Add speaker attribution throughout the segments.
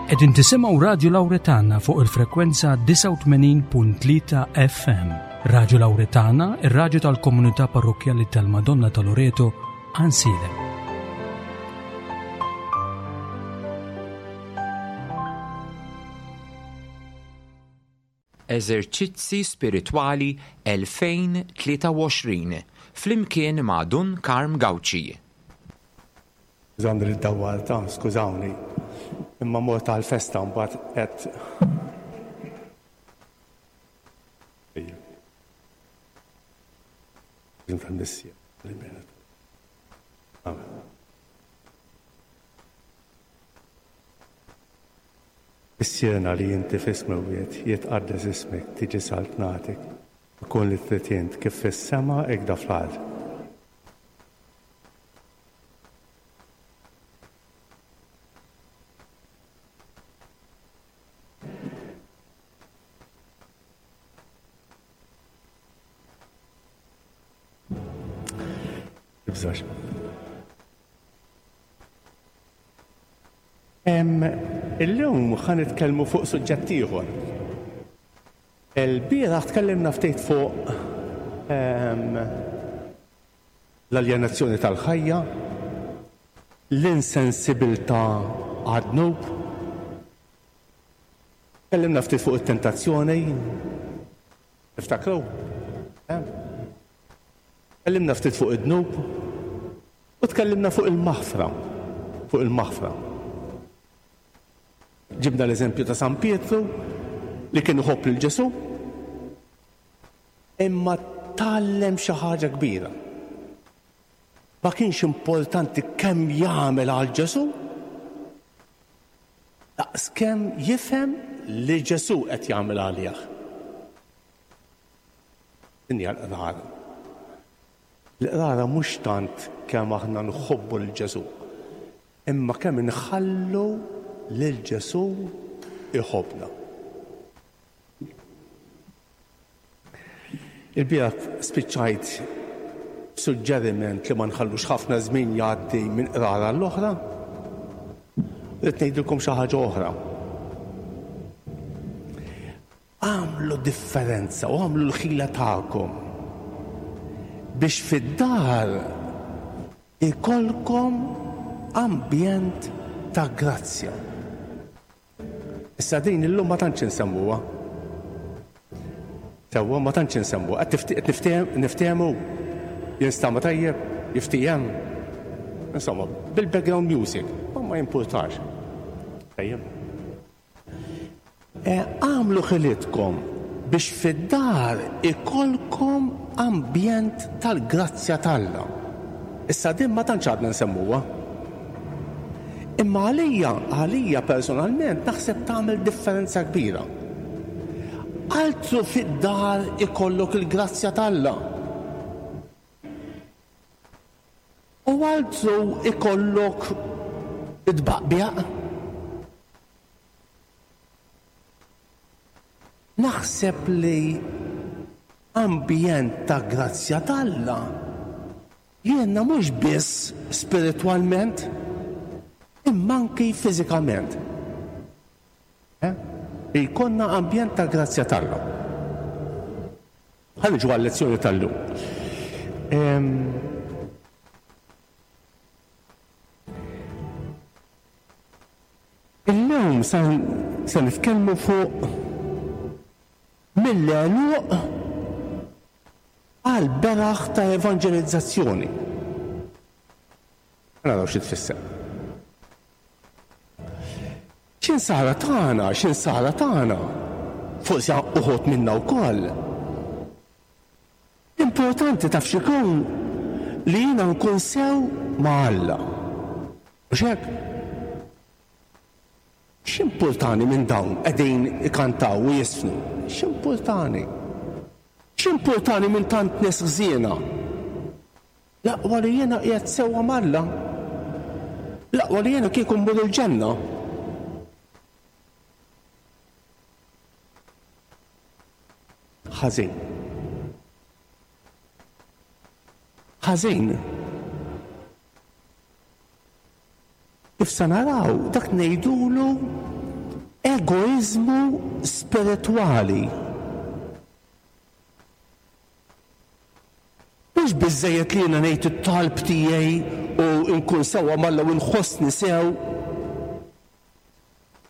Speaker 1: Qegħdin tisimgħu Radju Lawretana fuq il-frekwenza 89.3 FM. Radju Lawretana, ir-radju tal-komunità parrokkjali tal-Madonna ta' Loreto, Għansielem.
Speaker 2: Eżerċizzi Spiritwali 2023 flimkien ma' Dun Karm Gauci.
Speaker 3: Skużawni li ddawwart, ah, skużawni. Imma mort għall-festa mbagħad qed Amen. Missierna li inti fis-smewwiet, jitqaddes ismek, tiġi saltnatek, ikun li trid int kif fis-sema ikda fl-art. Tibżax. Illum ħa nitkellmu fuq suġġett ieħor. Il-bieraħ tkellimna ftit fuq l-aljenazzjoni tal-ħajja, l-insensibilità għad-dnub. Tkellimna ftit fuq it-tentazzjoni. Tiftakru? Tkellimna ftit fuq id-dnub u tkellimna fuq il-maħfra, fuq il-maħfra. Ġibna l-eżempju ta' San Pietru li kien iħobb lil Ġesù, imma tgħallem xi ħaġa kbira. Ma kienx importanti kemm jagħmel għal Ġesù, daqskemm jifhem li Ġesù qed jagħmel għalih. Din hija l-qrara. L-qrara mhux tant kemm aħna nħobbu lil Ġesù, imma kemm inħallu lil Ġesù jħobbna. Il-bieraħ spiċċajt b'suġġeriment li ma nħallux ħafna żmien jgħaddi minn qrara għall-oħra. Rrid ngħidilkom xi ħaġa oħra. Agħmlu differenza u agħmlu l-ħila tagħkom biex fid-dar ikollkom ambjent ta' grazzja. Issa din illum ma tantx insemmuha. Sewwa ma tantx insemmuha. Qed niftehmu? Jinstama' tajjeb? Jiftiehem? Insomma, bil-background music, ma ma jimpurtax. Tajjeb. Agħmlu ħilitkom biex fid-dar ikollkom ambjent tal-grazzja t'Alla. Issa din ma tantx għadna nsemmuha. Imma għalija, għalija personalment naħseb tagħmel differenza kbira. Altru fid-dar ikollok il-grazzja t'Alla. U altru ikollok it-tbaqbiq. Naħseb li ambjent ta' grazzja t'Alla jgħinna mhux biss spiritwalment imma anki fiżikament. Eh? Li jkollna ambjent ta' grazzja t'Alla. Ħa niġu għal-lezzjoni tal-lum. Illum se nitkellmu fuq mill-għeluq għal beraħ ta' evanġelizzazzjoni. Naraw xi tfisser. X'insara tagħna, x'insara tagħna, forsi uħud minna wkoll. L-importanti taf x'ikun li jiena nkun sew ma' Alla. Mhux hekk? X'impurtani minn dawn qegħdin ikantaw u jiżfnu? X'impurtani? X'impurtani minn tant nies ħżiena? L-aqwa li jiena qiegħed sewwa m'Alla. L-aqwa li jiena kieku mmur il-ġenna. Ħażin. Ħażin. Kif se naraw, dak ngħidulu Egoiżmu spiritwali. Mhux biżżejjed li jiena ngħid it-talb tiegħi u nkun sewwa m'Alla u nħossni sew.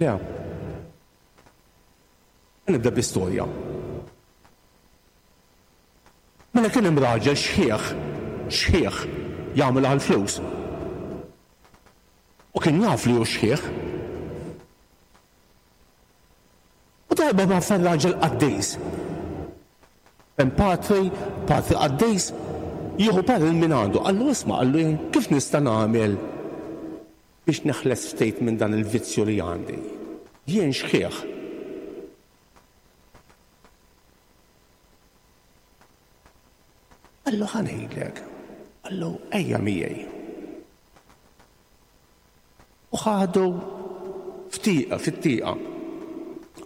Speaker 3: Le. Nibda bi storja. Mela kien hemm raġel xħiħ, xħiħ, jagħmel għall-flus. U kien jaf li hu xħiħ. U darba mar fejn raġel qaddis. Hemm patri, patri qaddis, jieħu parir minn għandu. Qallu isma' qallu jien kif nista' nagħmel biex neħles ftit minn dan il-vizzju li għandi. Jien xħiħ. Qallu ħa ngħidlek. Qallu ejja miegħi. U ħadu f'tieqa, fit-tieqa.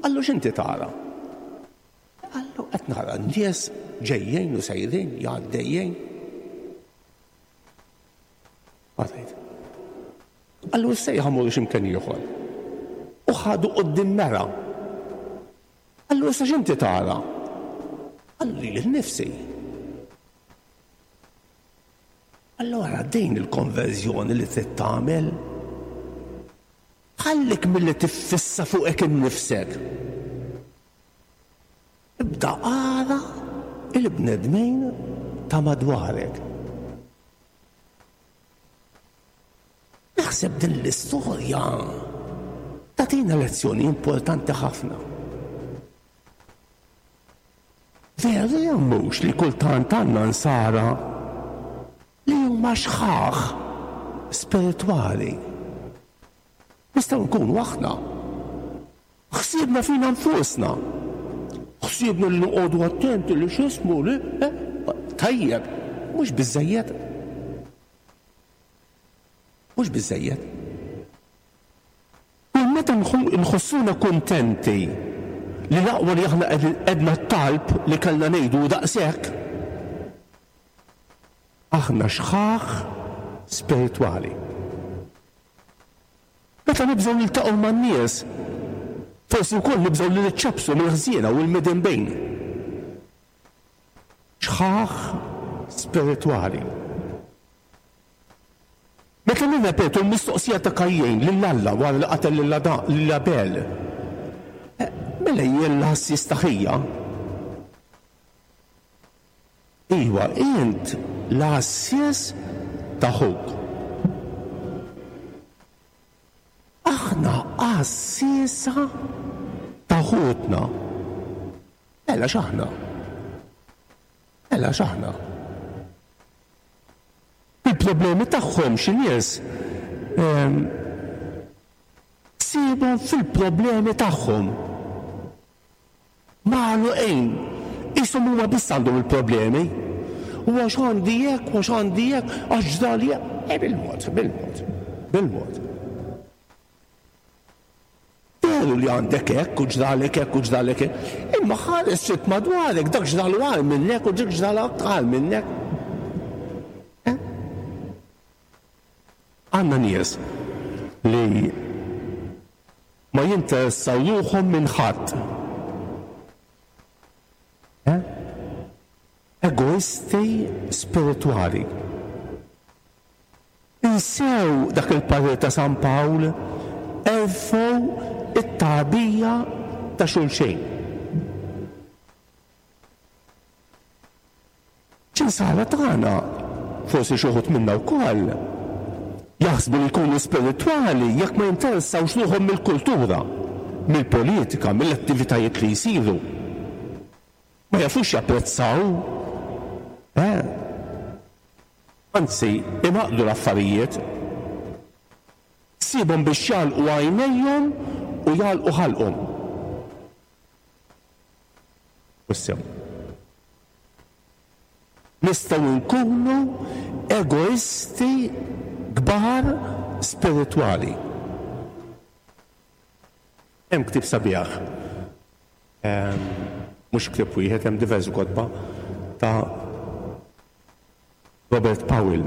Speaker 3: Qallu x'inti tara? Qallu qed nara n-nies ġejjin u sejrin, jgħaddejjin. Għadajt. Qallu issa ejja ħa mmorru x'imkien ieħor. U ħadu quddiem mera. Qallu issa x'inti tara? Qallu lili nnifsi. Allura din il-konverżjoni li trid tagħmel. Ħallik milli tiffissa fuqek innifsek. Ibda ara il-bnedmin ta' madwarek. Naħseb din l-istorja tagħtina lezzjoni importanti ħafna. Veru jew mhux li kultant għandna nsara li huma xħaħ spiritwali? Nistgħu nkunu aħna. Ħsiebna fina nfusna. Ħsiebna li noqogħdu attenti li x'ismu li eh, tajjeb, mhux biżżejjed. Mhux biżżejjed. Kull meta nħossuna kuntenti li l-aqwa li aħna għedna t-talb li kellna ngħidu u daqshekk, aħna xħaħ spiritwali. Meta nibżgħu niltaqgħu man-nies, forsi wkoll nibżgħu li niċċappsu mill-ħżiena u l-midinbin. Xħaħ spiritwali. Meta nirrepetu l-mistoqsija ta' Kajjin lil Alla wara li qatel lil Abel, mela jien l-għassies ta' ħija? Iwa, int l-għassies ta' ħuk. Aħna għassiesa ta' ħutna. Mela x'aħna? Mela x'aħna? Il-problemi tagħhom xi nies ssibhom fil-problemi tagħhom. Magħluqin. Qishom huma biss għandhom il-problemi. U għax għandi hekk, u għax għandi hekk, għax ġrali hekk. E bil-mod, bil-mod, bil-mod. Veru li għandek hekk u ġralek hekk u ġralek hekk, imma ħares ftit madwarek, dak ġralu agħar minnek u dik ġralha agħar minnek. Eh? Għandna nies li ma jinteressaw ruħhom minn ħadd. Eh? Egoisti spiritwali. Insew dak il-parir ta' San Pawl, erfgħu t-tagħbija ta' xulxejn. X'insara tagħna, forsi xi wħud minna wkoll, jaħsbu li jkunu spiritwali jekk ma jinteressawx ruħhom mill-kultura, mill-politika, mill-attivitajiet li jsiru. Ma jafux japprezzaw, eh? Anzi, ingħaqdu l-affarijiet. Ssibhom biex jagħlqu għajnejhom u jagħlqu ħalqhom. U sew. Nistgħu nkunu egoisti kbar spiritwali. Hemm ktieb sabiħ, mhux ktieb wieħed, hemm diversi kotba ta' Robert Powell,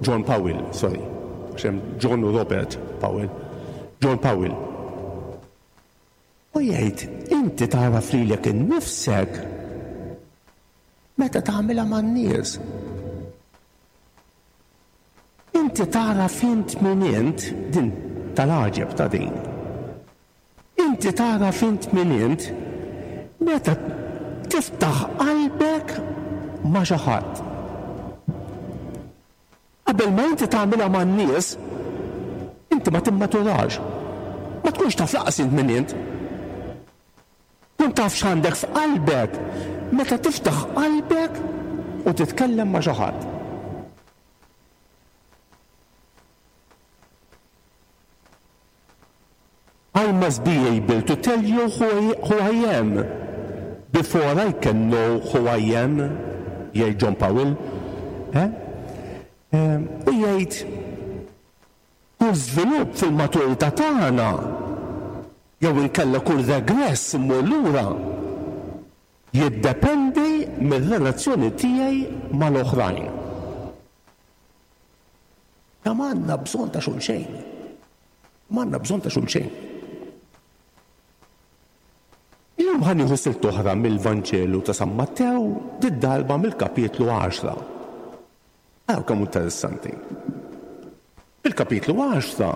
Speaker 3: John Powell, sorry, għax hemm John u Robert Powell, John Powell. U jgħid, inti tagħraf lilek innifsek meta tagħmilha man-nies. Inti tagħraf int min int, din tal-għaġeb ta' din. Inti tagħraf int min int meta tiftaħ qalbek ma' xi ħadd. Qabel ma inti tagħmilha man-nies, inti ma timmaturax. Ma tkunx taf lanqas int min int. Tkun taf x'għandek f'qalbek meta tiftaħ qalbek u titkellem ma' xi ħadd. I must be able to tell you who I, who I am before I can know who I am, jgħid John Powell. Eh? Eh, u jgħid kull żvilupp fil-maturità tagħna jew inkella kull regress immur lura jiddependi mir-relazzjoni tiegħi mal-oħrajn. Kemm għandna bżonn ta' xulxejn. M'għandna bżonn ta' xulxejn. Illum ħa nieħu silt oħra mill-Vanġelu ta' San Mattew, did-darba mill-kapitlu 10. Araw kemm interessanti. Fil-kapitlu 10,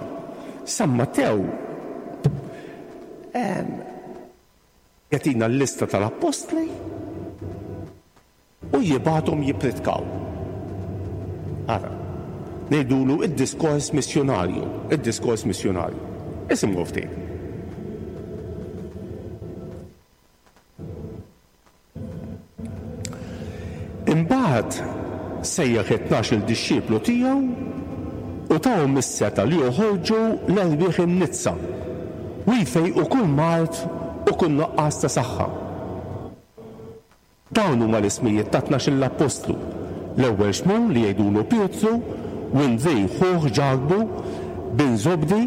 Speaker 3: San Mattew jagħtina l-lista tal-appostli U jibgħathom jippritkaw. Ara, ngħidulu id-diskors missjunarju, id-diskors missjunarju. Isimgħu ftit. Imbagħad sejjaħ it-tnax-il dixxiplu tiegħu u tahom is-setgħa li joħorġu l-erwieħ imniġġsa u jfejqu kull mard u kull nuqqas ta' saħħa. Dawn huma l-ismijiet tat-tnax-il appostlu, l-ewwel Xmun li jgħidulu Pietru, u Indrej ħuh Ġakbu, bin Żobdi,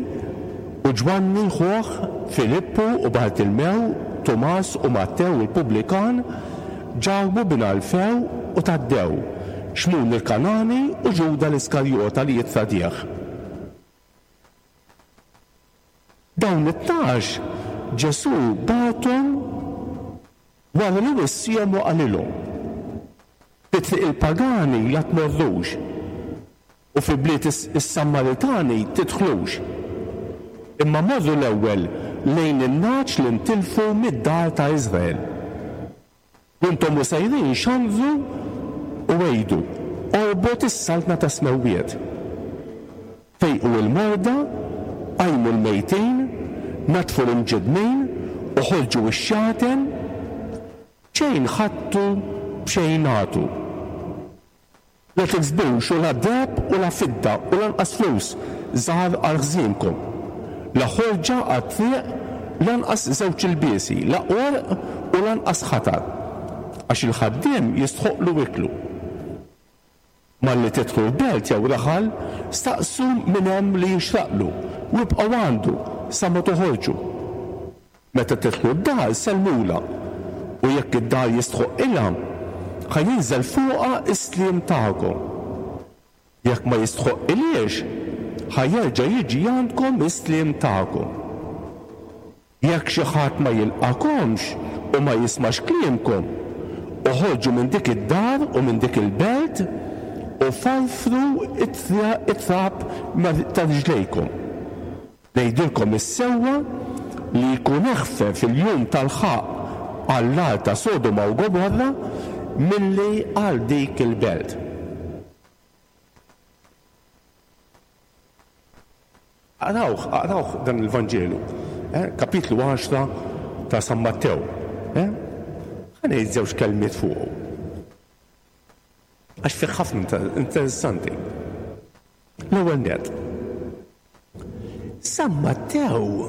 Speaker 3: u Ġwanni ħuh, Filippu u Bartilmew, Tumas u Mattew il-pubblikan, Ġakbu bin Alfew u Taddew, Xmun il-Kangħani u Ġuda l-Iskarjota li jittradih. Dawn it-tnax Ġesù bagħathom wara li wissiehom u qalilhom, Fi triq il-pagani la tmorrux, u fi bliet is-Sammaritani tidħlux, imma morru l-ewwel lejn in-nagħaġ li ntilfu mid-dar ta' Iżrael. U intom u sejrin xandru u għidu, Qorbot is-saltna tas-smewwiet. Fejqu l-morda, qajmu l-mejtin, naddfu l-imġiddmin, u ħorġu x-xjaten, b'xejn ħadtu, b'xejn agħtu. La tiksbux u la deheb u la fidda u lanqas flus żgħar għal ħżienkom, la ħorġa għat-triq, lanqas żewġ ilbiesi, la għorq u lanqas ħatar, għax il-ħaddiem jistħoqqlu iklu. Malli tidħlu l-belt jew raħal, staqsu min hemm li jixraqlu u ibqgħu għandu sa ma toħorġu. Meta tidħlu d-dar, sellmulha, u jekk id-dar jistħoqqilha, ħa jinżel fuqha s-sliem tagħkom. Jekk ma jistħoqqilhiex, ħa jerġa' jiġi għandkom is-sliem tagħkom. Jekk xi ħadd ma jilqagħkomx u ma jismax kliemkom, oħorġu minn dik id-dar u minn dik il-belt u farfru t-trab ta' riġlejkom. Ngħidilkom is-sewwa li jkun eħfef il-jum tal-ħaqq għall-agħar ta' Sodoma u Gomorra milli għal dik il-belt. Aqrawh, aqrawh dan il-Vanġelu, eh, kapitlu 10 ta' San Mattew. Eh? Ħa ngħid żewġ kelmiet fuqu. Għax fih ħafna interessanti. L-ewwel net. San Mattew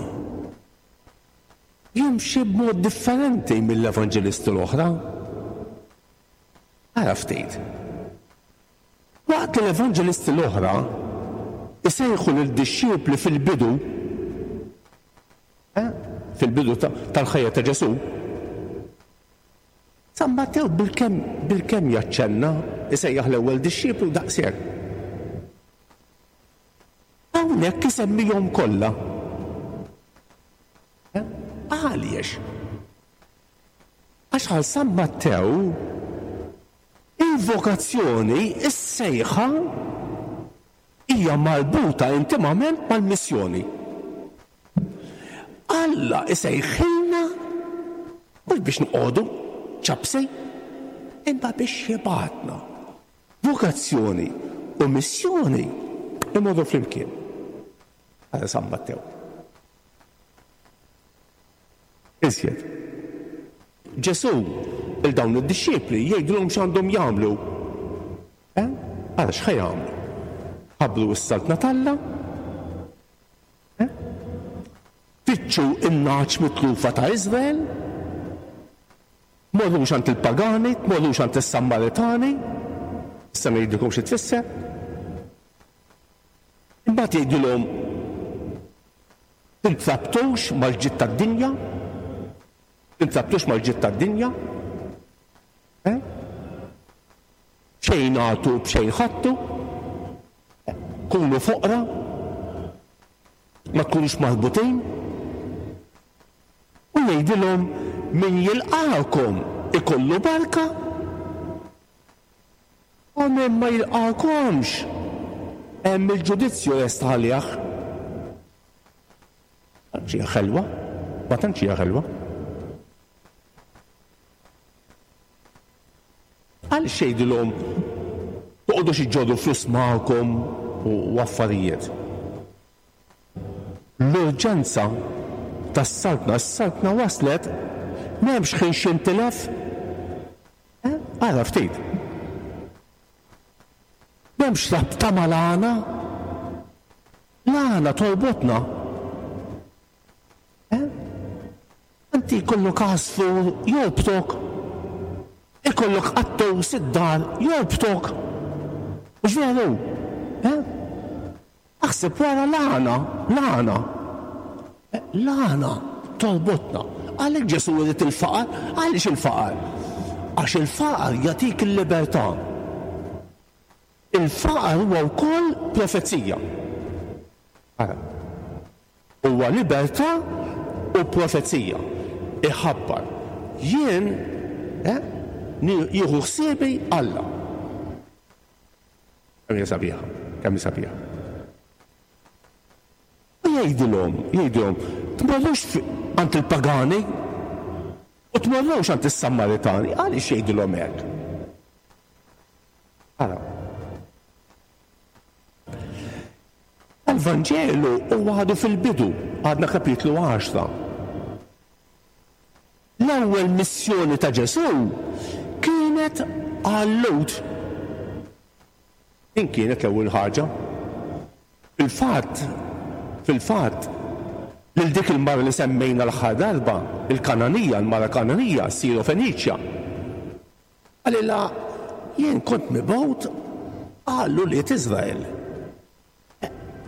Speaker 3: jimxi b'mod differenti mill-evanġelisti l-oħra. Ara ftit. Waqt li l-evanġelisti l-oħra jsejħu lid-dixxipli fil-bidu, eh, fil-bidu tal-ħajja ta' Ġesù, San Mattew bilkemm bilkemm jaċċenna isejjaħ l-ewwel dixxiplu daqshekk. Hawnhekk isemmihom kollha. Eh, għaliex? Għaliex? Għax għal San Mattew il-vokazzjoni, is-sejħa, hija marbuta intimament mal-missjoni. Alla isejħilna mhux biex noqogħdu ċapsi, imma biex jibgħatna. Vokazzjoni u missjoni imorru flimkien. Għal San Mattew. Iżjed. Ġesù 'l dawn id-dixxipli jgħidilhom x'għandhom jagħmlu. Eh? Ara x'ħa jagħmlu. Ħabbru s-Saltna t'Alla. Eh? Fittxu n-nagħaġ mitlufa ta' Iżrael. Tmorrux għand il-pagani, tmorrux għand is-Sammaritani. Issa ngħidilkom xi tfisser. Imbagħad jgħidilhom tintrabtux mal-ġid tad-dinja, tintrabtux mal-ġid tad-dinja. Eh? Xejn agħtu b'xejn ħadtu, kunu foqra, ma tkunux marbutin. U jgħidilhom min jilqagħkom ikollu barka u min ma jilqagħkomx hemm il-ġudizzju lest għalih. Tantx hija ħelwa, ma tantx hija ħelwa. Għaliex jgħidilhom toqgħodux iġġorru flus magħkom u affarijiet? L-urġenza tas-Saltna, is-Saltna waslet, m'hemmx ħin x'jintilef. Eh? Ara ftit. M'hemmx rabta mal-għana. L-għana torbotna. Eh? Inti jkollok għasfur jorbtok. Ikollok qattus id-dar jorbtok. Mhux veru? Eh? Aħseb wara l-għana, l-għana. L-għana torbotna. Għalhekk Ġesù irid il-faqar. Għaliex il-faqar? Għax il-faqar jagħtik il-libertà. Il-faqar huwa wkoll profezija. Ara. Huwa libertà u profezija. Iħabbar. Jien eh, jieħu ħsiebi Alla. Kemm hija sabiħa, kemm hi sabiħa. U jgħidilhom, jgħidilhom, tmorrux għand il-pagani u tmorrux għand is-Sammaritani. Għaliex jgħidilhom hekk? Ara. Il-Vanġelu huwa għadu fil-bidu, għadna kapitlu 10. L-ewwel missjoni ta' Ġesù kienet għal-Lhud. Din kienet l-ewwel ħaġa. Fil-fatt, fil-fatt, lil dik il-mara li semmejna l-aħħar darba, il-Kananija, il-mara Kananija, Siro-Feniċja, qalilha, Jien kont mibgħut għal ulied Iżrael.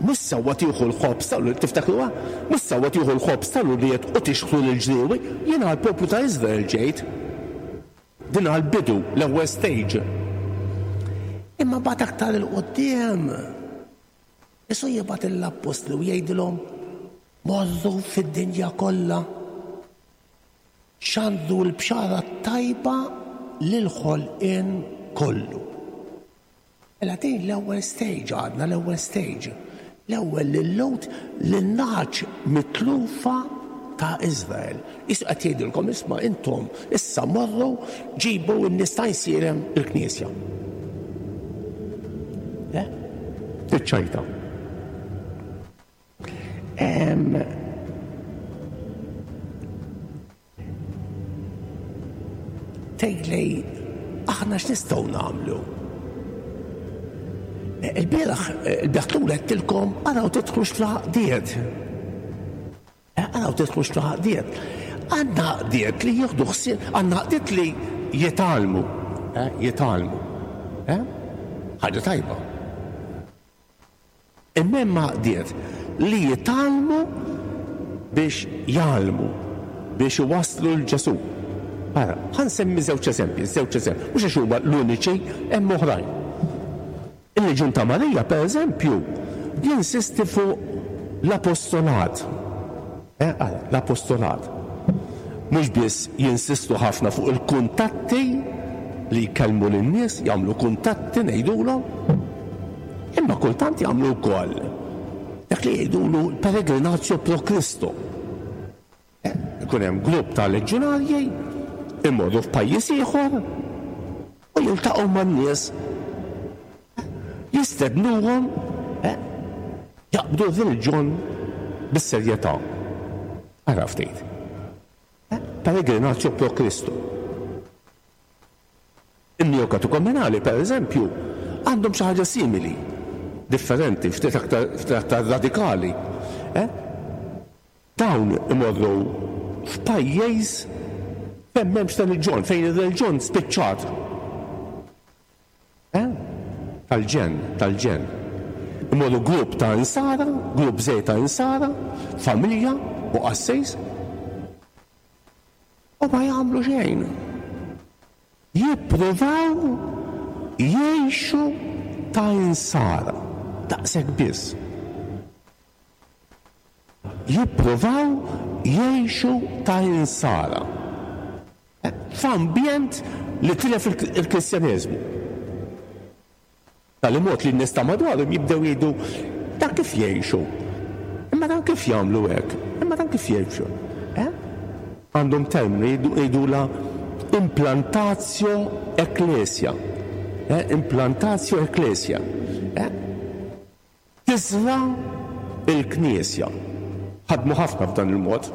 Speaker 3: Mhux sewwa tieħu l-ħobż tal tiftakruha? Mhux sewwa tieħu l-ħobż tal-ulied u tixħtu lill-ġriewi. Jien għall-poplu ta' Iżrael ġejt. Din għall-bidu, l-ewwel stage. Imma mbagħad aktar 'il quddiem, Ġesù jibgħat lill-appostli u jgħidilhom, Morru fid-dinja kollha, xandru l-bxara t-tajba lill-ħolqien kollu. Mela din l-ewwel stage għadna l-ewwel stage. L-ewwel lil-Lhud lin-nagħaġ mitlufa ta' Iżrael. Qisu qed jgħidilkom isma' intom issa morru ġibu n-nies ta' Għajnsielem il-knisja. Eh? Tiċċajta. Tgħidli aħna x'nistgħu nagħmlu? Eh, il-bieraħ, eh, il-bieraħ tul għedtilkom araw tidħlux fl-għaqdiet. Eh, araw tidħlux fl-għaqdiet. Għandna għaqdiet li jieħdu ħsieb, għandna għaqdiet li jitgħallmu, jitgħallmu. Ħaġa tajba. Imma hemm għaqdiet li jitgħallmu biex jgħallmu, biex iwasslu 'l Ġesù. Ara, ħa nsemmi żewġ eżempji, żewġ eżempji, mhux għax huma l-uniċi, hemm oħrajn. Il-Leġjun ta' Marija, per eżempju, jinsisti fuq l-apostolat. Eh, ara, l-apostolat. mhux biss jinsistu ħafna fuq il-kuntatti li jkellmu lin-nies, jagħmlu kuntatti ngħidulhom, imma kultant jagħmlu wkoll dak li jgħidulu l-peregrinatio pro Christo. Ikun hemm grupp ta' leġġunarji imorru f'pajjiż ieħor u jiltaqgħu man-nies jistednuhom jaqbdu r-reliġjon bis-serjetà. Ara ftit. Peregrinatio pro Christo. In-Neokatekumenali, per eżempju, għandhom xi ħaġa simili, differenti, ftit aktar, ftit aktar radikali. Eh? Dawn imorru f'pajjiż fejn m'hemmx reliġjon, fejn ir-reliġjon spiċċat. Eh? Tal-ġenn, tal-ġenn. Imorru grupp ta' insara, grupp żgħir ta' insara, familja u qassis, u ma jagħmlu xejn. Jippruvaw jgħixu ta' insara, daqshekk biss. Jippruvaw jgħixu ta' insara f'ambjent li tilef il-Kristjaneżmu. B'tali mod li n-nies ta' madwarhom jibdew jgħidu, Dan kif jgħixu? Imma dan kif jagħmlu hekk? Imma dan kif jgħixu? Eh? Għandhom terminu jgħidulha implantatio ecclesia. Eh? Implantatio ecclesia. Eh? Tiżra' l-Knisja. Ħadmu ħafna f'dan il-mod,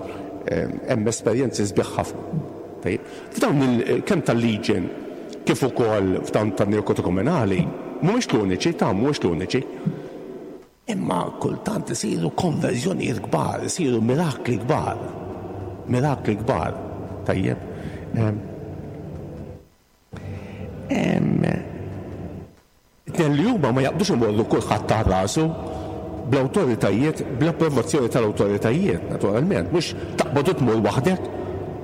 Speaker 3: hemm esperjenzi sbieħ ħafna. Tajjeb. F'dawn il kemm tal-Legion kif ukoll f'dawn tan-Neokatekumenali, mhumiex l-uniċi, ta' mhumiex l-uniċi. Imma kultant isiru konverżjonijiet kbar, isiru mirakli kbar. Mirakli kbar. Tajjeb. It-tnejn li huma ma jaqbdux imorru kulħadd għal rasu bl-awtoritajiet, bl-approvazzjoni tal-awtoritajiet, naturalment, mhux taqbad u tmur waħdek,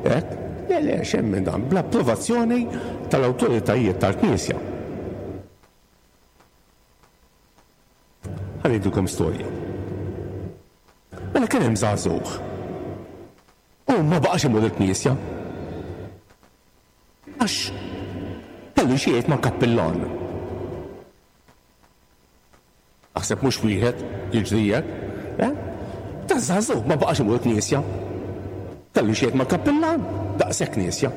Speaker 3: hekk. Le, le, xejn minn dan, bl-approvazzjoni tal-awtoritajiet tal-Knisja. Ħa ngħidilkom storja. Mela kien hemm żagħżugħ u ma baqax imur il-knisja. Għax kellu xi jgħid mal-kappillan. Naħseb mhux wieħed jiġri hekk, eh? Ta' żagħżugħ ma baqax imur knisja. Kellu xi jgħid mal-kappillan, daqshekk knisja.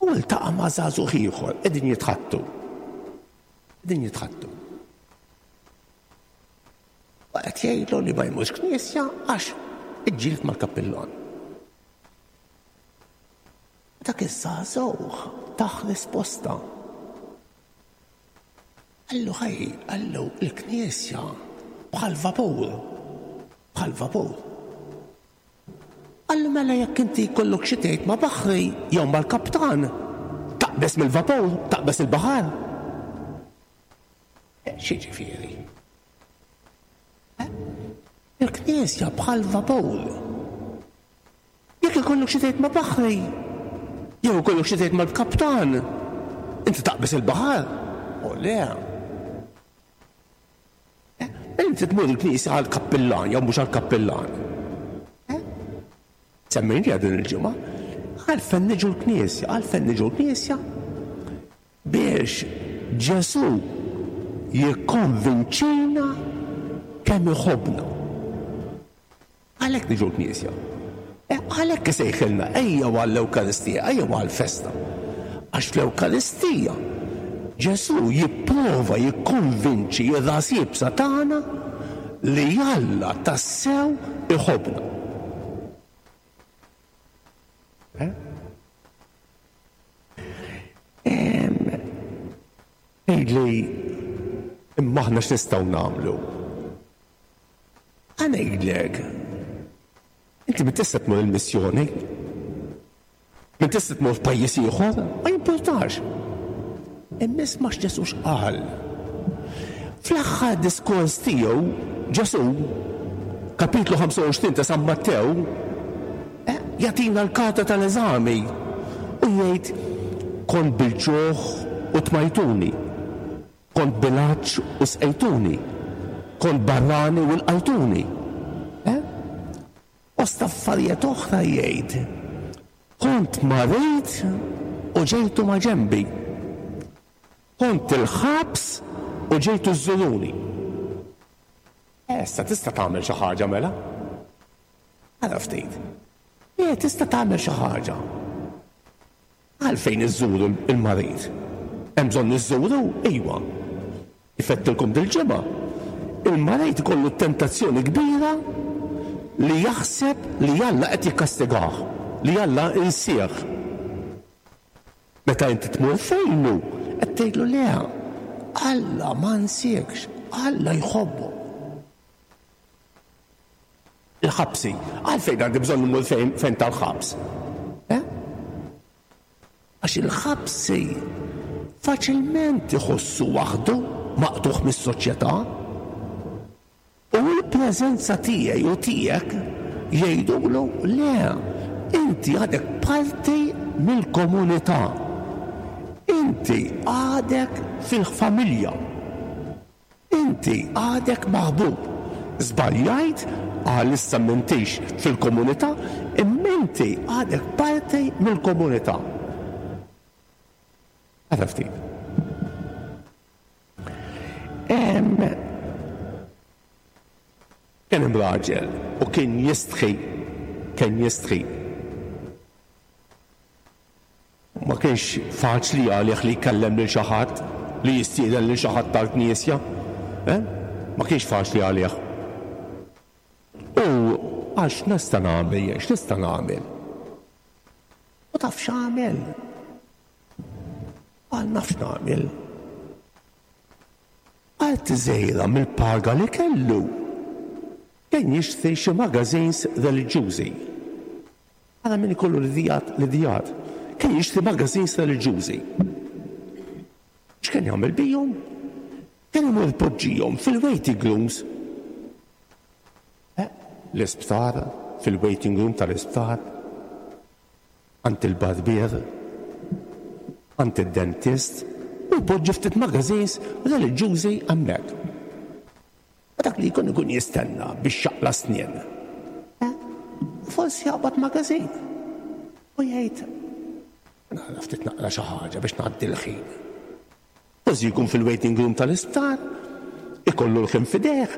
Speaker 3: U ltaqa' ma' żagħżugħ ieħor qegħdin jitħattu. Qegħdin jitħattu. U qed jgħidlu li ma jmurx knisja għax iġġieled mal-kappillan. Dak iż-żagħżugħ tah risposta. Qallu ħej, qallu il-knisja bħal vapur, bħal vapur. Qallu mela jekk inti jkollok xi tgħid ma' baħri jew mal-kaptan, taqbeż mill-vapur, taqbeż il-baħar. X'jiġifieri? Il-knisja bħal vapur. Jekk ikollok xi tgħid ma' baħri, jew ikollok xi tgħid mal-kaptan, inti taqbeż il-baħar? O le. Eh, inti tmur il-knisja għall-kappillan jew mhux għall-kappillan. Eh? Semmejniha din il-ġimgħa. Għalfejn niġu l-knisja, għalfejn niġu l-knisja biex Ġesù jikkonvinċina kemm iħobbna. Għalhekk niġu l-knisja. E, għalhekk isejħilna ejjew għall-Ewkaristija, ejjew għall-festa. Għax fl-Ewkaristija Ġesù jipprova jikkonvinċi r-ras iebsa tagħna li Alla tassew iħobbna. Eh? Tgħidli imma aħna x'nistgħu nagħmlu? Ħa ngħidlek, inti min tista' tmur il-missjoni, min tista' tmur f'pajjiż ieħor, ma jimpurtax. Imma isma' x'Ġesù x'qal. Fl-aħħar diskors tiegħu, Ġesù, kapitlu 25 ta' San Mattew, eh, jagħtina l-karta tal-eżami u jgħid kont bil-ġuħ u tmajtuni, Kont bil-għatx u sqejtuni, kont barrani u lqajtuni. Eh? Fost affarijiet oħra jgħid, Kont marid u ġejtu maġenbi. Kont il-ħabs u ġejtu żżuruni. Issa tista' tagħmel xi ħaġa mela? Ara ftit. Le, tista' tagħmel xi ħaġa. Għalfejn iżżuru l-marid? Hemm bżonn iżżuru? Iwa. Kif għedtilkom dil-ġimgħa, il-marid ikollu t-tentazzjoni kbira li jaħseb li Alla qed jikkastigah, li Alla insieh. Meta inti tmur fejnu, qed tgħidlu le, Alla ma nsiekx, Alla jħobbok. Il-ħabsi. Għalfejn għandi bżonn immur fejn fejn tal-ħabs? Eh? Għax il-ħabsi faċilment iħossu waħdu maqtugħ mis-soċjetà. U l-preżenza tiegħi u tiegħek jgħidulu le, inti għadek parti mill-komunità. Inti għadek fil-familja. Inti għadek maħbub. Żbaljajt, għalissa m'intix fil-komunità, imma inti għadek parti mill-komunità. Ara ftit. Kien hemm raġel u kien jistħi, kien jistħi. Ma kienx faċli għalih li jkellem lil xi ħadd, li jistieden lil xi ħadd għall-knisja. Eh? Ma kienx faċli għalih. U qal x'nista' nagħmel jien, x'nista' nagħmel? U taf x'għamel? Qal naf x'nagħmel. Parti żgħira mill-paga li kellu kien jixtri xi magazines reliġjużi. Ara min ikollu l-idijat, l-idijat. Kien jixtri magazines reliġjużi. X'kien jagħmel bihom? Kien imur ipoġġihom fil-waiting rooms. Eh, l-isptar, fil-waiting room tal-isptar, għand il-barbier, għand id-dentist, u jpoġġi ftit magazines reliġjużi hemmhekk. U dak li jkun ikun jistenna biex jaqla' snien. Eh? Forsi jaqbad magazin u jgħid nara ftit naqra xi ħaġa biex ngħaddi l-ħin. Forsi jkun fil-waiting room tal-isptar, ikollu l-ħin f'idejh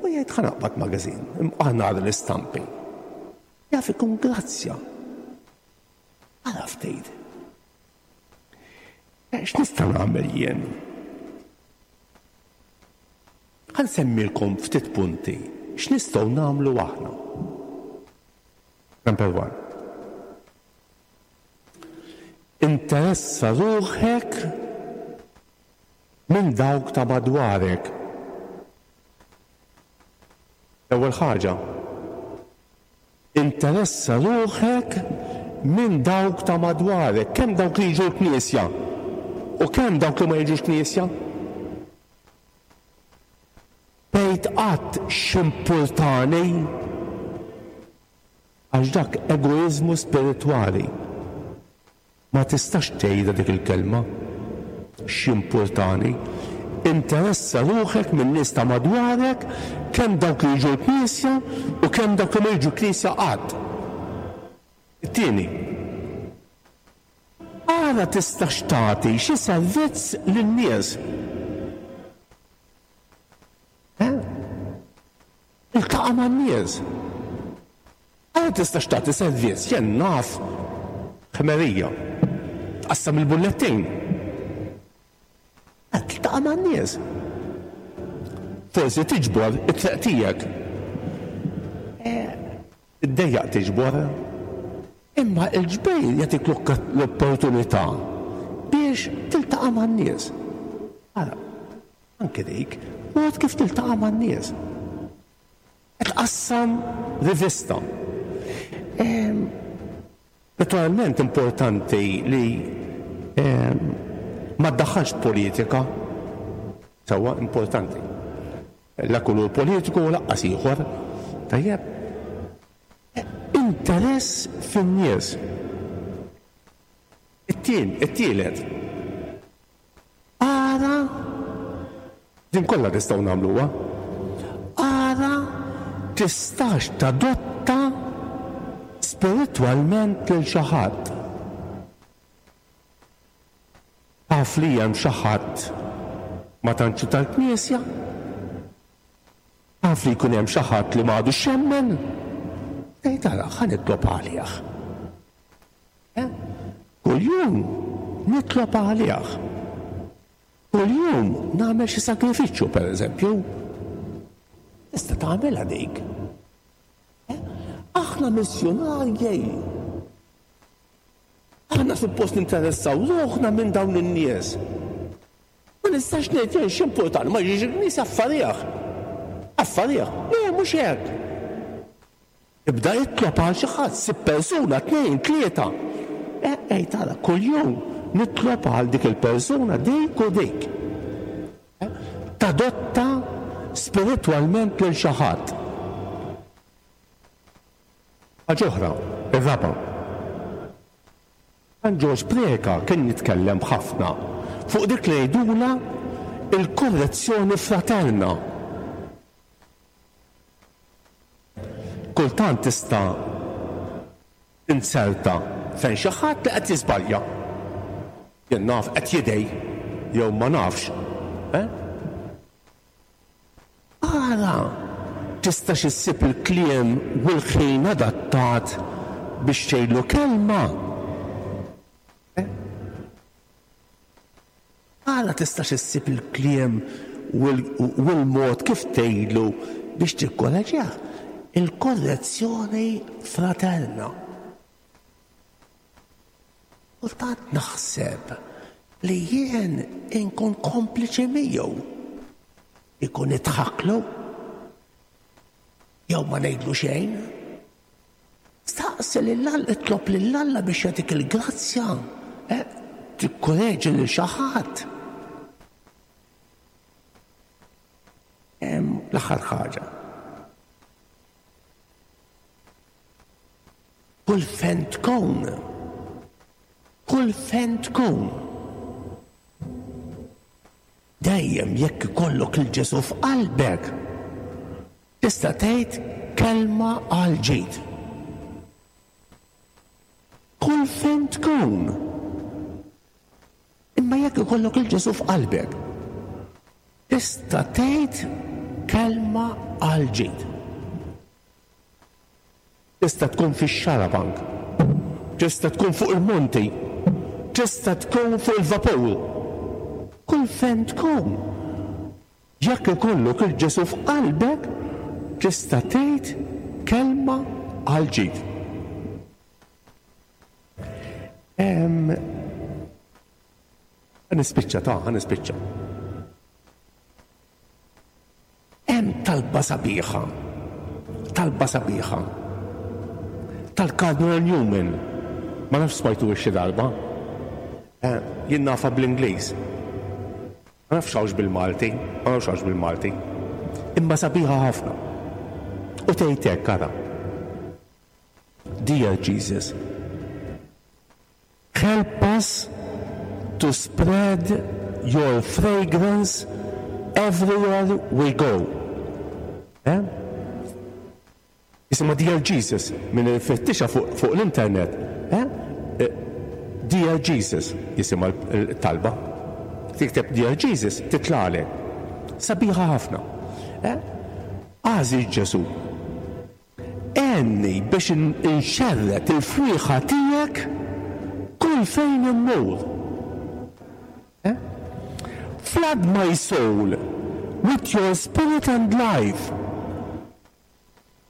Speaker 3: u jgħid ħa naqbad magazin, imqar nara l-istampi. Jaf ikun grazzja. Ara ftit. Eh, x'nista' nagħmel jien? Ħa nsemmilkom ftit punti x'nistgħu nagħmlu aħna. Number one. Interessa ruħek minn dawk ta' madwarek. L-ewwel ħaġa, Interessa ruħek minn dawk ta' madwarek, kemm dawk li jiġu l-knisja u kemm dawk li ma jiġux knisja. Tgħid qatt x'impurtani għax dak egoiżmu spiritwali. Ma tistax tgħidha dik il-kelma. X'jimpurtani? Interessa ruħek min-nies ta' madwarek, kemm dawk li jiġu l-knisja u kemm dawk li ma jiġu l-knisja qatt. It-tieni, ara tistax tagħti xi servizz lin-nies. Eh? Iltaqa' man-nies. Ara tistax tagħti servizz, jien naf ħmerija. Tqassam il-bullettin. Qed tiltaqa' man-nies. Forsi tiġbor it-triq tiegħek. Eh, Tiddejjaq tiġbor. Imma l-ġbir jagħtik l-opportunità biex tiltaqa' man-nies. Ara, Anke dik, mod kif tiltaqa' man-nies. Qed tqassam rivista. Naturalment importanti li ma ddaħħalx politika. Sewwa importanti. La kulur politiku u laqqas ieħor. Tajjeb. Interess fin-nies. It-tien, it-tielet. Ara, din kollha nistgħu nagħmluha. Ara tistax tadotta spiritwalment lil xi ħadd. Taf li hemm xi ħadd ma tantx hu tal-Knisja? Taf li jkun hemm xi ħadd li m'għadux jemmen? Tgħid ara, ħa nitlob għalih. Eh? Kuljum nitlob għalih. Kuljum nagħmel xi sagrifiċċju pereżempju. Tista' tagħmilha dik. Eh? Aħna missjunarji. Aħna suppost ninteressaw ruħna minn dawn in-nies. Ma nistax ngħid jien x'importani ma jiġix il-knisja affarih. Affarih. Le, mhux hekk. Ibda itlob għal xi ħadd, sib persuna, tnejn, tlieta. Eh, ej tara, kuljum nitlob għal dik il-persuna dik u dik. Eh, tadotta spiritwalment lil xi ħadd. Ħaġa oħra, ir-raba'. San Ġorġ Preca kien jitkellem ħafna fuq dik li ngħidulha l-korrezzjoni fraterna. Kultant tista' tinzerta fejn xi ħadd li qed jiżbalja. Jien naf qed jidgħi jew ma nafx. Eh? Ara tistax issib il-kliem u l-ħin adattat biex tgħidlu kelma. Eh? Ara tistax issib il-kliem u l-mod kif tgħidlu biex tikkoreġih. Il-korrezzjoni fraterna. Kultant naħseb li jien inkun kompliċi miegħu. Ikun nidħaklu jew ma ngħidlu xejn. Staqsi lil Alla, itlob lil Alla biex jagħtik il-grazzja, eh, tikkoreġi lil xi ħadd. L-aħħar ħaġa. Kull fejn tkun, kull fejn tkun. Dejjem jekk ikollok il Ġesù f'qalbek, tista' tgħid kelma għal ġid. Kull fejn tkun. Imma jekk ikollok il Ġesù f'qalbek, tista' tgħid kelma għal ġid. Tista' tkun fix-xarabank. Tista' tkun fuq il-monti. Tista' tkun fuq il-vapur. Kull fejn tkun. Jekk ikollok 'il Ġesù f'qalbek, tista' tgħid kelma għall-ġid. Ħa nispiċċa ta' ħa nispiċċa. Hemm talba sabiħa, talba sabiħa tal-Cardinal Newman. Ma nafx smajtuhiex xi darba. Eh, jien nafha bl-Ingliż. Ma nafx hawnx bil-Malti, ma nafx hawnx bil-Malti. Imma sabiħa ħafna. U tgħid hekk ara. Dear Jesus, Help us to spread your fragrance everywhere we go. Eh? Jisimha Dear Jesus, min ifittixha fuq, fuq l-internet. Eh? eh Dear Jesus jisimha l-talba. Tikteb Dear Jesus titlagħlek. Sabiħa ħafna. Eh? Għażiż Ġesu, Għenni biex inxerred il-fwieħa tiegħek kull fejn immur. Flood my soul with your spirit and life.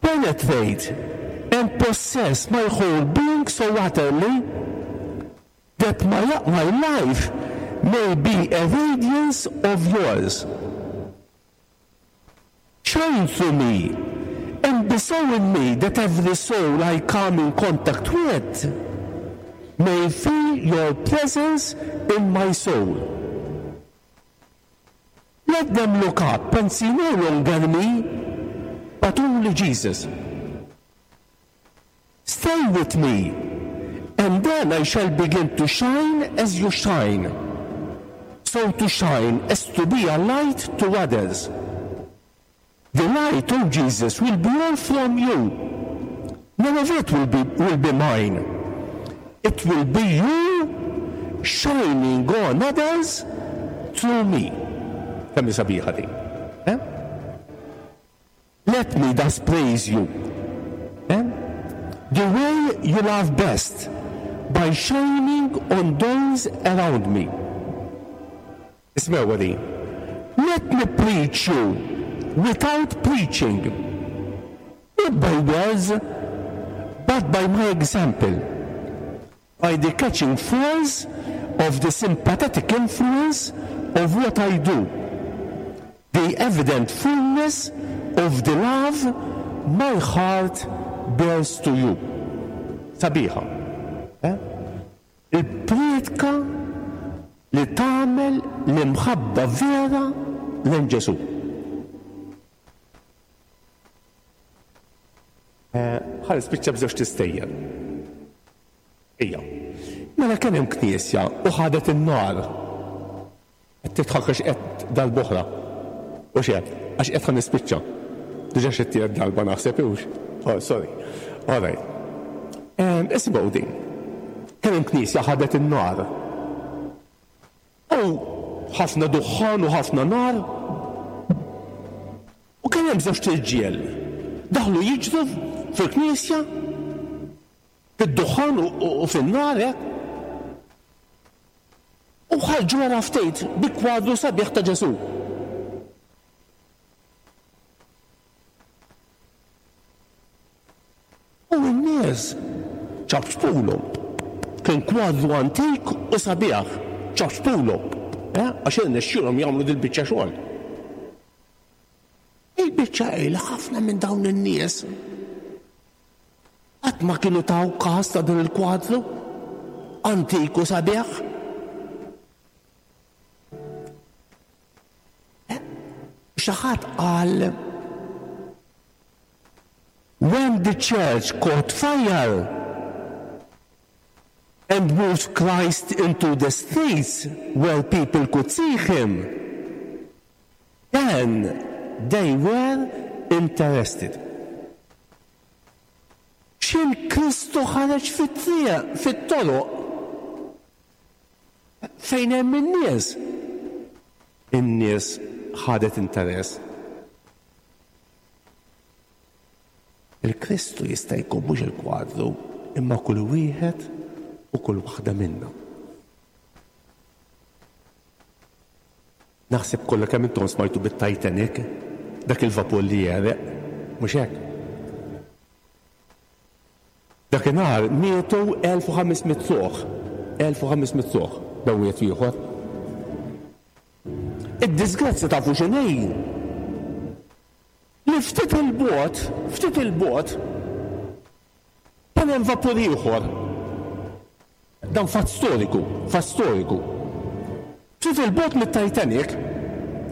Speaker 3: Penetrate and possess my whole being so utterly that my, my life may be a radiance of yours. Shine through me and be so in me that every soul I come in contact with may feel your presence in my soul. Let them look up and see no longer me, but only Jesus. Stay with me, and then I shall begin to shine as you shine. So to shine as to be a light to others. The light, O Jesus, will be all from you. None of it will be, will be mine. It will be you shining on others through me. Kemm sabiħa din. Eh? Let me thus praise you. Eh? The way you love best, by shining on those around me. Ismgħuha din. Let me preach you without preaching, not by words, but by my example, by the catching force of the sympathetic influence of what I do, the evident fullness of the love my heart bears to you. Sabiħa. Eh? Il-prietka li tagħmel l-imħabba vera lejn Ġesù. Eh, ħa nispiċċa b'żewġ tistejjer. Ejja. Mela kien hemm knisja u ħadet in-nar. Qed tidħak għax qed darb'oħra. Hux hekk? Għax qed ħa nispiċċa. Diġà xi tielet darba naħseb hux? Oh, sorry. All right. Isimgħu din. Kien hemm knisja ħadet in-nar. U ħafna duħħan u ħafna nar. U kien hemm żewġt irġiel daħlu jiġru fil-knisja fid-duħħan u fin-nar hekk. U ħarġu wara ftit bi kwadru sabiħ ta' Ġesù. U n-nies ċapċpulhom. Kien kwadru antik u sabiħ, ċapċpulhom. Eh, għax irnexxielhom jagħmlu dil-biċċa xogħol. Il-biċċa hi li ħafna minn dawn in-nies Qatt ma kienu taw kas ta' dan il-kwadru antik u sabiħ. Eh, xi ħadd qal When the church caught fire and moved Christ into the streets where people could see him, then they were interested. X'in Kristu ħareġ fit-triq, fit-toroq, fejn hemm in-nies. In-nies ħadet interess. Il-Kristu jista' jkun mhux il-kwadru, imma kull wieħed u kull waħda minna. Naħseb kollha kemm intom smajtu bit-Titanic, dak il-vapur li għereq, mhux hekk? Dakinhar mietu 1500 ruħ, 1500 ruħ, dan wieħed ieħor. Id-disgrazzja tafu x'inhi? Li ftit il-bogħod, ftit il-bogħod, kien hemm vapur ieħor. Dan fatt storiku, fatt storiku. Ftit 'il bogħod mit-Titanic,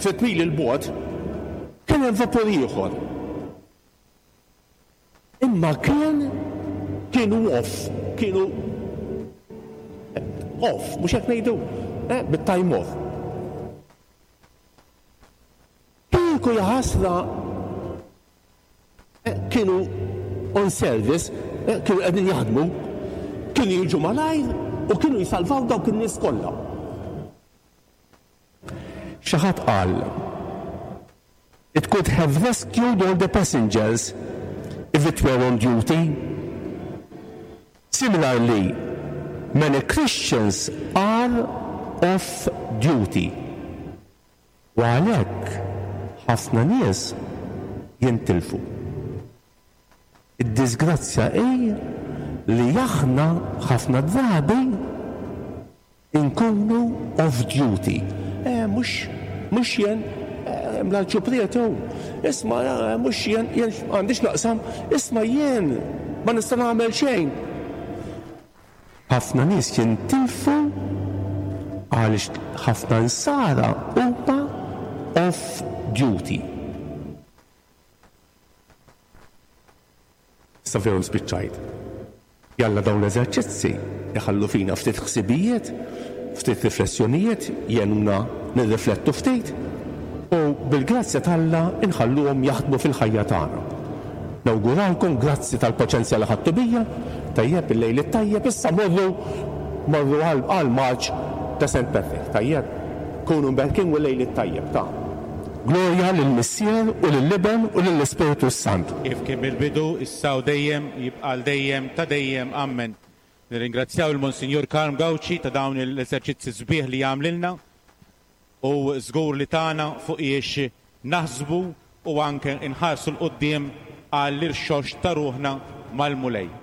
Speaker 3: ftit mili 'l bogħod, kien hemm vapur ieħor. Imma kien kienu off, kienu off, mhux hekk ngħidu? Eh, bit-time off. Kieku jaħasra kienu on service, kienu qegħdin jaħdmu, kienu jiġu malajr u kienu jsalvaw dawk in-nies kollha. Xi ħadd qal, It could have rescued all the passengers if it were on duty. Similarly, many Christians are off duty. U għalhekk ħafna nies jintilfu. Id-diżgrazzja hi li aħna ħafna drabi nkunu off duty. Eh, mhux mhux jien, eh, l-arċipriet hu. Isma' eh, mhux jien, jien għandix naqsam, isma' jien ma nista' nagħmel xejn. Ħafna nies jintilfu għaliex ħafna Nsara huma off duty. Issa veru spiċċajt. Jalla dawn l-eżerċizzi jħallu fina ftit ħsibijiet, ftit riflessjonijiet, jgħinuna nirriflettu ftit u bil-grazzja t'Alla nħalluhom jaħdmu fil-ħajja tagħna. Nawguralkom, grazzi tal-paċenzja li ħadtu bija. Tajjeb, il-lejl it-tajjeb, issa morru morru għall-marċ ta' Saint Patrick. Tajjeb? Kunu mberkin u l-lejl it-tajjeb ta'. Glorja lill-Missier u lill-Iben u lill-Ispirtu s-Santu.
Speaker 4: Kif kien mill-bidu, issa u dejjem, jibqa' għal dejjem ta' dejjem. Ammen. Nirringrazzjaw il-Monsinjur Karm Gauci ta' dawn l-eżerċizzi sbieħ li għamlilna u żgur li tana fuqiex naħsbu u anke nħarsu 'l quddiem għall-irxoxt ta' ruħna mal-Mulej.